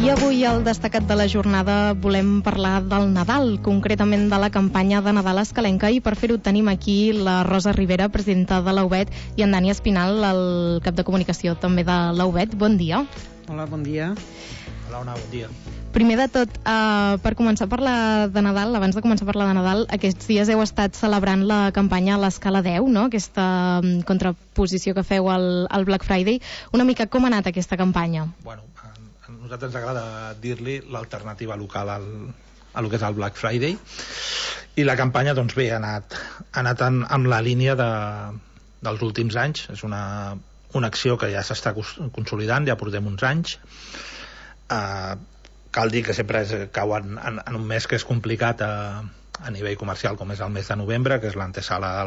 I avui al destacat de la jornada volem parlar del Nadal, concretament de la campanya de Nadal escalenca, i per fer-ho tenim aquí la Rosa Rivera, presidenta de l'UBET, i en Dani Espinal, el cap de comunicació també de l'UBET. Bon dia. Hola, bon dia. Hola, Ona, bon dia. Primer de tot, per començar a parlar de Nadal, abans de començar a parlar de Nadal, aquests dies heu estat celebrant la campanya a l'escala 10, no? Aquesta contraposició que feu al Black Friday. Una mica com ha anat aquesta campanya? Bueno, a nosaltres ens agrada dir-li l'alternativa local a lo que és el Black Friday, i la campanya, doncs bé, ha anat amb la línia dels últims anys. És una acció que ja s'està consolidant, ja portem uns anys. Cal dir que sempre cau en un mes que és complicat a nivell comercial, com és el mes de novembre, que és l'antesala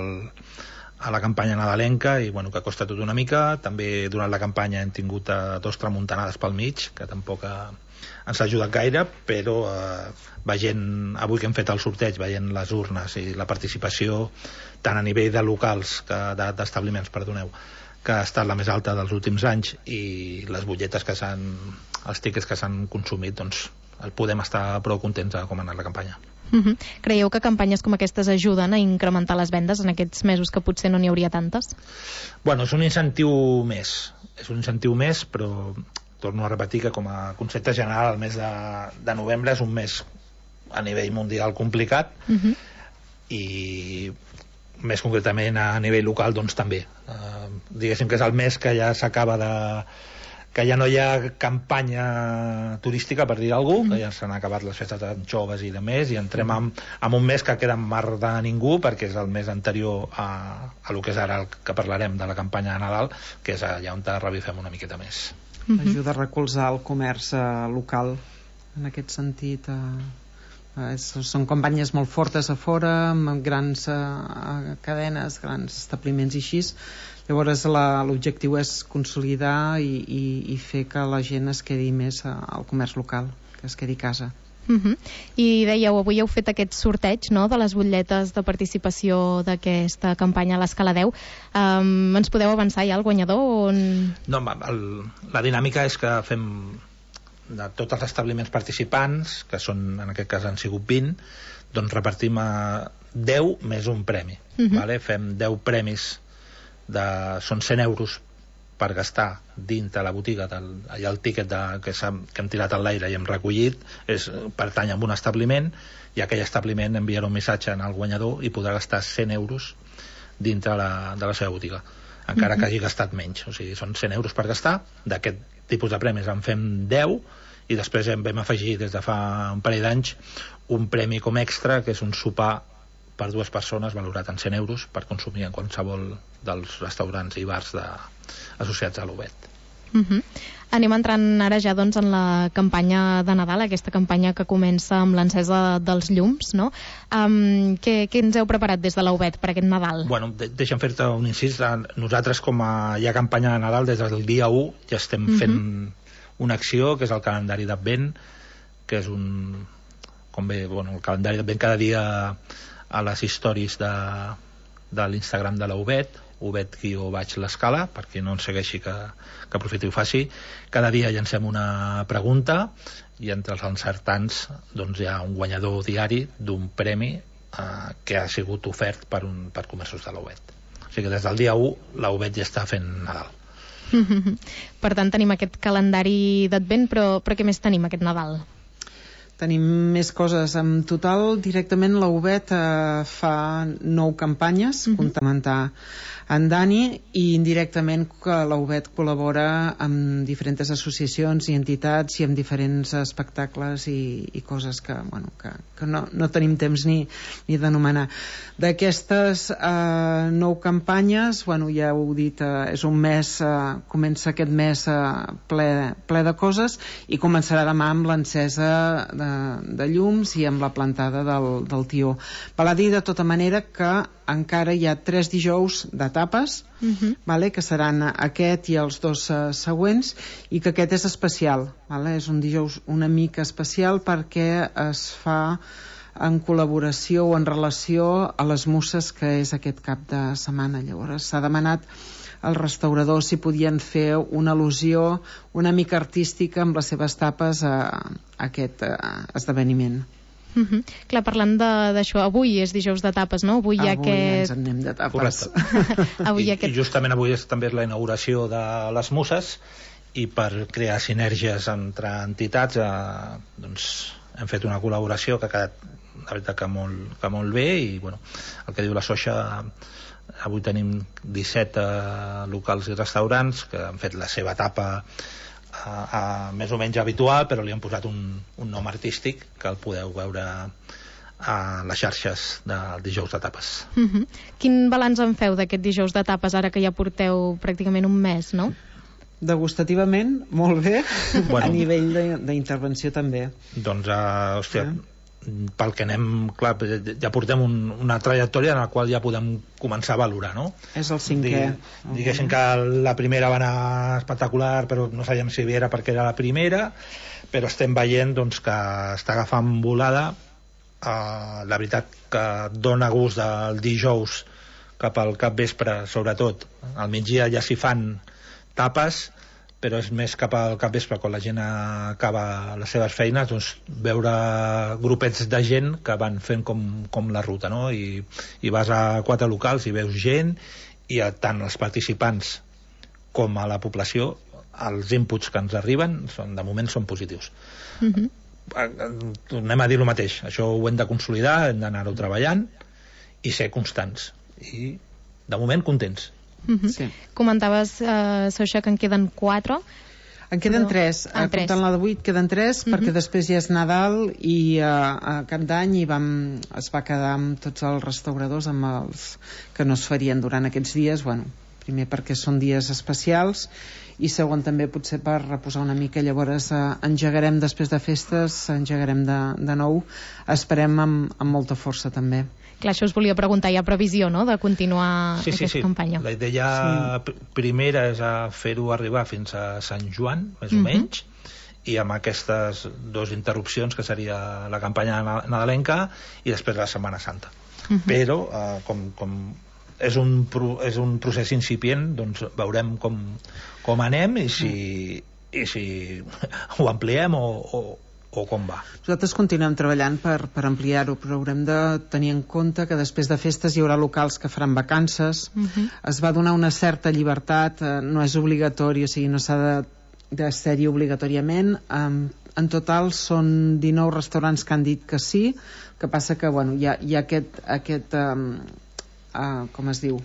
a la campanya nadalenca, i bueno, que costa tot una mica. També durant la campanya hem tingut 2 tramuntanades pel mig, que tampoc ens ha ajudat gaire, però veient, avui que hem fet el sorteig, veient les urnes i la participació tant a nivell de locals, d'establiments, perdoneu, que ha estat la més alta dels últims anys, i les butlletes els tickets que s'han consumit, doncs podem estar prou contents de com ha anat la campanya. Creieu que campanyes com aquestes ajuden a incrementar les vendes en aquests mesos que potser no n'hi hauria tantes? Bueno, és un incentiu més, però torno a repetir que com a concepte general el mes de novembre és un mes a nivell mundial complicat, i més concretament a nivell local doncs també. Diguéssim que és el mes que ja s'acaba que ja no hi ha campanya turística, per dir alguna cosa, que ja s'han acabat les festes d'anxoves i de més, i entrem en un mes que queda en mar de ningú, perquè és el mes anterior a lo que és ara el que parlarem de la campanya de Nadal, que és allà on revifem una miqueta més. Ajuda a recolzar el comerç local en aquest sentit. Són campanyes molt fortes a fora, amb grans cadenes, grans establiments i així. Llavors l'objectiu és consolidar i fer que la gent es quedi més al comerç local, que es quedi a casa. I dèieu, avui heu fet aquest sorteig, no?, de les butlletes de participació d'aquesta campanya a l'escala 10. Ens podeu avançar ja el guanyador? No, la dinàmica és que fem de tots els establiments participants, que són, en aquest cas han sigut 20, doncs repartim a 10 més un premi. Vale? Fem 10 premis, són 100 euros per gastar dintre la botiga. Allà el tíquet que hem tirat a l'aire i hem recollit pertany a un establiment, i aquell establiment enviarà un missatge al guanyador i podrà gastar 100 euros dintre de la seva botiga, encara que hagi gastat menys. O sigui, són 100 euros per gastar. D'aquest tipus de premis en fem 10, i després vam afegir des de fa un parell d'anys un premi com extra, que és un sopar per 2 persones valorat en 100 euros per consumir en qualsevol dels restaurants i bars associats a l'UBET. Anem entrant ara ja doncs en la campanya de Nadal, aquesta campanya que comença amb l'encesa dels llums, no? Què ens heu preparat des de l'UBET per aquest Nadal? Bueno, deixa'm fer-te un incís. Nosaltres, com hi ha campanya de Nadal, des del dia 1 ja estem fent una acció, que és el calendari d'Advent, que és el calendari d'Advent cada dia a les stories de l'Instagram de la UBET, UBET_l'escala, per qui no ens segueixi que aprofiti i ho faci. Cada dia llancem una pregunta, i entre els encertants doncs hi ha un guanyador diari d'un premi que ha sigut ofert per comerços de la UBET. O sigui que des del dia 1 la UBET ja està fent Nadal. Per tant, tenim aquest calendari d'Advent, però què més tenim aquest Nadal? Tenim més coses. En total, directament la UBET fa 9 campanyes, complementar en Dani, i indirectament que la UBET col·labora amb diferents associacions i entitats i amb diferents espectacles i coses que no tenim temps ni d'anomenar. D'aquestes 9 campanyes, ja heu dit, és un mes, comença aquest mes ple de coses, i començarà demà amb l'encesa de llums i amb la plantada del tió. Val a dir de tota manera que encara hi ha 3 dijous d'etapes, que seran aquest i els 2 següents, i que aquest és especial, és un dijous una mica especial perquè es fa en col·laboració o en relació a les Muses, que és aquest cap de setmana. Llavors s'ha demanat els restauradors si podien fer una al·lusió una mica artística amb les seves tapes a aquest esdeveniment. Clar, parlant d'això, avui és dijous de tapes, no? Avui ens en anem de tapes. I justament avui també és la inauguració de les Muses, i per crear sinergies entre entitats doncs hem fet una col·laboració que ha quedat, la veritat, que molt bé, i bueno, el que diu la Soxa, avui tenim 17 locals i restaurants que han fet la seva tapa més o menys habitual, però li han posat un nom artístic que el podeu veure a les xarxes del dijous de tapes. Quin balanç en feu d'aquest dijous de tapes ara que ja porteu pràcticament un mes, no? Degustativament, molt bé. A nivell d'intervenció també. Doncs, hòstia, pel que anem, clar, ja portem una trajectòria en la qual ja podem començar a valorar, no? És el 5è. Diguéssim que la primera va anar espectacular, però no sabíem si era perquè era la primera, però estem veient doncs, que està agafant volada. La veritat que dona gust del dijous cap al capvespre, sobretot al migdia ja s'hi fan tapes, però és més cap al capvespre, quan la gent acaba les seves feines, doncs veure grupets de gent que van fent com la ruta, no? I vas a 4 locals i veus gent, i tant els participants com a la població els inputs que ens arriben de moment són positius. Tornem a dir el mateix, això ho hem de consolidar, hem d'anar-ho treballant i ser constants, i de moment contents. Sí. Comentaves, Soxa, que en queden 4. En queden 3. Comptant la d'avui queden 3, perquè després ja és Nadal i a Cap d'Any es va quedar amb tots els restauradors, amb els que no es farien durant aquests dies, bueno, primer perquè són dies especials i segon també potser per reposar una mica. Llavors engegarem després de festes, engegarem de nou, esperem amb molta força també. Clar, això us volia preguntar, hi ha previsió, no?, de continuar aquesta campanya. La idea primera és fer-ho arribar fins a Sant Joan, més o menys, i amb aquestes 2 interrupcions, que seria la campanya nadalenca i després la Setmana Santa. Però, com és un procés incipient, doncs veurem com anem i si ho ampliem o com va. Nosaltres continuem treballant per ampliar-ho, però haurem de tenir en compte que després de festes hi haurà locals que faran vacances. Es va donar una certa llibertat, no és obligatori, o sigui, no s'ha de ser-hi obligatòriament. En total són 19 restaurants que han dit que sí, que passa que bueno, hi ha aquest com es diu,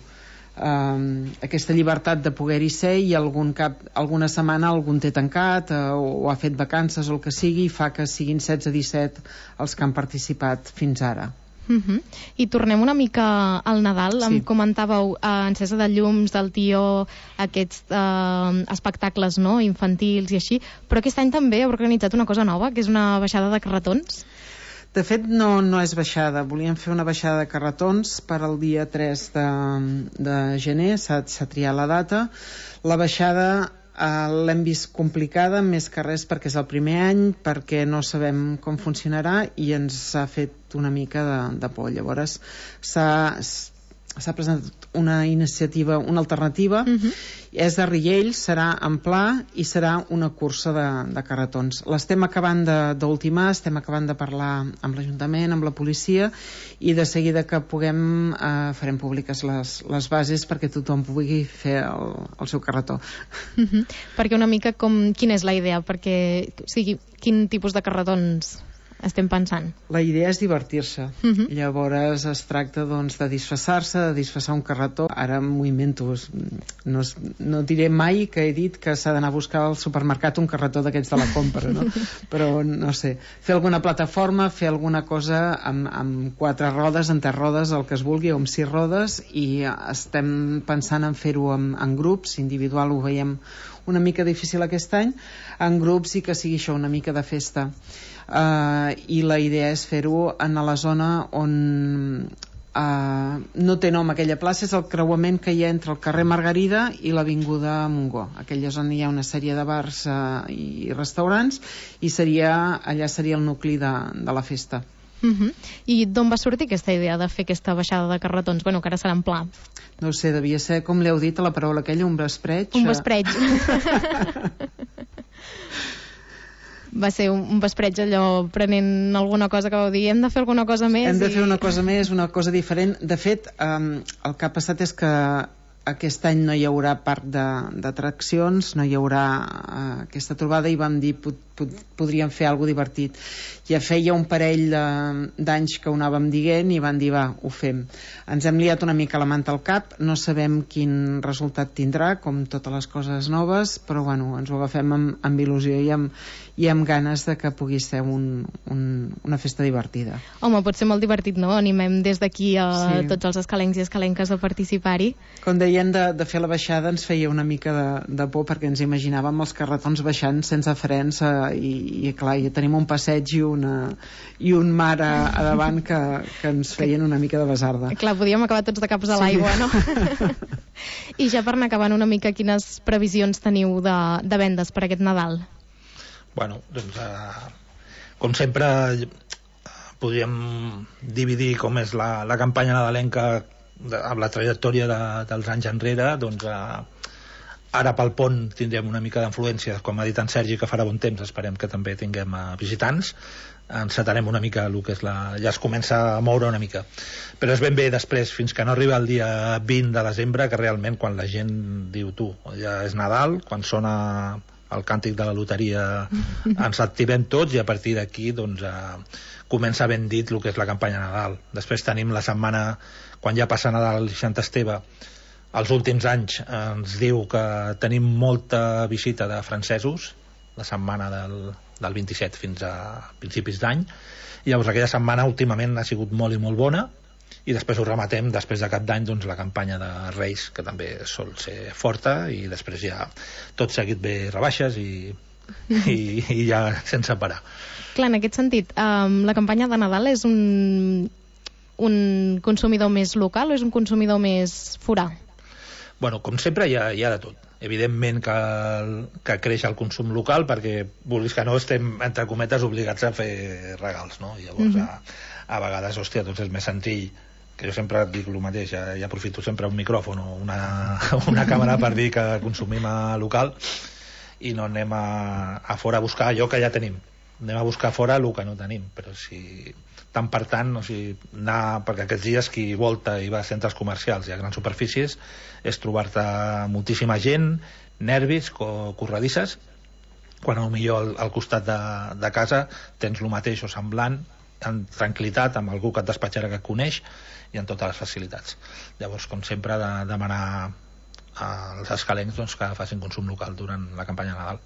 aquesta llibertat de poder-hi ser, i alguna setmana algun té tancat o ha fet vacances o el que sigui, i fa que siguin 16-17 els que han participat fins ara. I tornem una mica al Nadal. Em comentàveu encesa de llums, del tió, aquests espectacles, no?, infantils i així, però aquest any també heu organitzat una cosa nova, que és una baixada de carretons. De fet, no és baixada. Volíem fer una baixada de carretons per al dia 3 de gener, s'ha triat la data. La baixada l'hem vist complicada, més que res perquè és el primer any, perquè no sabem com funcionarà i ens ha fet una mica de por. Llavors s'ha presentat una iniciativa, una alternativa, és de Riells, serà en pla i serà una cursa de carretons. L'estem acabant d'ultimar, estem acabant de parlar amb l'Ajuntament, amb la policia, i de seguida que puguem farem públiques les bases perquè tothom pugui fer el seu carretó. Perquè una mica quina és la idea? Perquè, o sigui, quin tipus de carretons estem pensant? La idea és divertir-se. Llavors es tracta doncs de disfressar-se, de disfressar un carretó. Ara m'ho invento, no diré mai que he dit que s'ha d'anar a buscar al supermercat un carretó d'aquests de la compra, no? Però no sé, fer alguna plataforma, fer alguna cosa amb 4 rodes, en 3 rodes, el que es vulgui, o amb 6 rodes, i estem pensant en fer-ho en grups. Individual ho veiem una mica difícil aquest any, en grups, i que sigui això, una mica de festa. I la idea és fer-ho en la zona on no té nom aquella plaça, és el creuament que hi ha entre el carrer Margarida i l'avinguda Montgó. Aquella zona hi ha una sèrie de bars i restaurants, i allà seria el nucli de la festa. I d'on va sortir aquesta idea de fer aquesta baixada de carretons? Bueno, que ara serà en pla. No sé, devia ser, com l'heu dit, a la paraula aquella, un vespreig. Un vespreig. Va ser un vespreig allò, prenent alguna cosa que vau dir, hem de fer alguna cosa més. Hem de fer una cosa més, una cosa diferent. De fet, el que ha passat és que aquest any no hi haurà parc d'atraccions, no hi haurà aquesta trobada, i vam dir podríem fer alguna cosa divertit. Ja feia un parell d'anys que ho anàvem dient i van dir va, ho fem. Ens hem liat una mica la manta al cap, no sabem quin resultat tindrà, com totes les coses noves, però bueno, ens ho agafem amb il·lusió i amb ganes de que pugui ser una festa divertida. Home, pot ser molt divertit, no? Animem des d'aquí a tots els escalencs i escalenques a participar-hi. Com deien, de fer la baixada ens feia una mica de por, perquè ens imaginàvem els carretons baixant sense frens i clar, ja tenim un passeig i un mar a davant que ens feien una mica de basarda. Clar, podíem acabar tots de caps a l'aigua, no? I ja per anar acabant una mica, quines previsions teniu de vendes per aquest Nadal? Bueno, doncs, com sempre, podríem dividir com és la campanya nadalenca amb la trajectòria dels anys enrere. Doncs ara pel pont tindrem una mica d'influència, com ha dit en Sergi, que farà bon temps, esperem que també tinguem visitants. Encetarem una mica el que és ja es comença a moure una mica, però és ben bé després, fins que no arriba el dia 20 de desembre, que realment quan la gent diu ja és Nadal, quan sona el càntic de la loteria ens activem tots, i a partir d'aquí doncs comença ben dit el que és la campanya Nadal. Després tenim la setmana, quan ja passa Nadal i Sant Esteve, els últims anys ens diu que tenim molta visita de francesos, la setmana del 27 fins a principis d'any, i llavors aquella setmana últimament ha sigut molt i molt bona, i després ho rematem després de cap d'any doncs la campanya de Reis, que també sol ser forta, i després ja tot seguit ve rebaixes i ja sense parar. Clar, en aquest sentit, la campanya de Nadal és un consumidor més local o és un consumidor més forà? Bueno, com sempre hi ha de tot. Evidentment que creix el consum local, perquè vulguis que no estem, entre cometes, obligats a fer regals, no? I llavors a vegades, hòstia, doncs és més senzill, que jo sempre dic el mateix, ja aprofito sempre un micròfon o una càmera per dir que consumim a local i no anem a fora a buscar allò que ja tenim. Anem a buscar fora el que no tenim, però si tant per tant, o sigui, perquè aquests dies qui volta i va a centres comercials i a grans superfícies és trobar-te moltíssima gent, nervis, corredisses, quan potser al costat de casa tens el mateix o semblant, en tranquil·litat, amb algú que et despatxarà, que et coneix, i en totes les facilitats. Llavors, com sempre, demanar als escalencs doncs, que facin consum local durant la campanya de Nadal.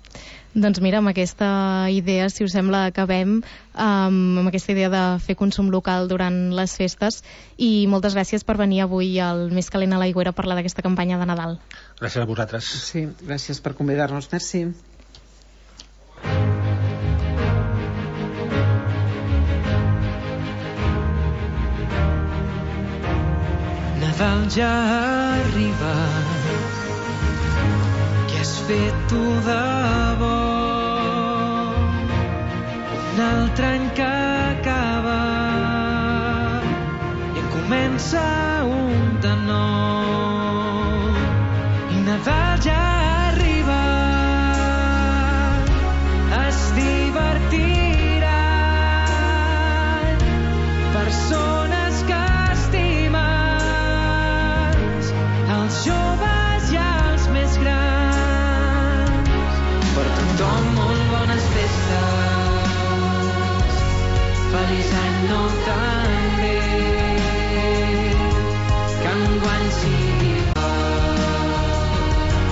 Doncs mira, amb aquesta idea, si us sembla, acabem amb aquesta idea de fer consum local durant les festes, i moltes gràcies per venir avui al Més Calent a l'Aigüera a parlar d'aquesta campanya de Nadal. Gràcies a vosaltres. Sí, gràcies per convidar-nos. Merci. Nadal ja ha arribat, què has fet tu de bo? Un altre any que acaba i comença un de nou. I Nadal ja ha arribat, es divertiran persones que els joves i els més grans. Per tothom molt bones festes, feliç any nou també, que enguany sigui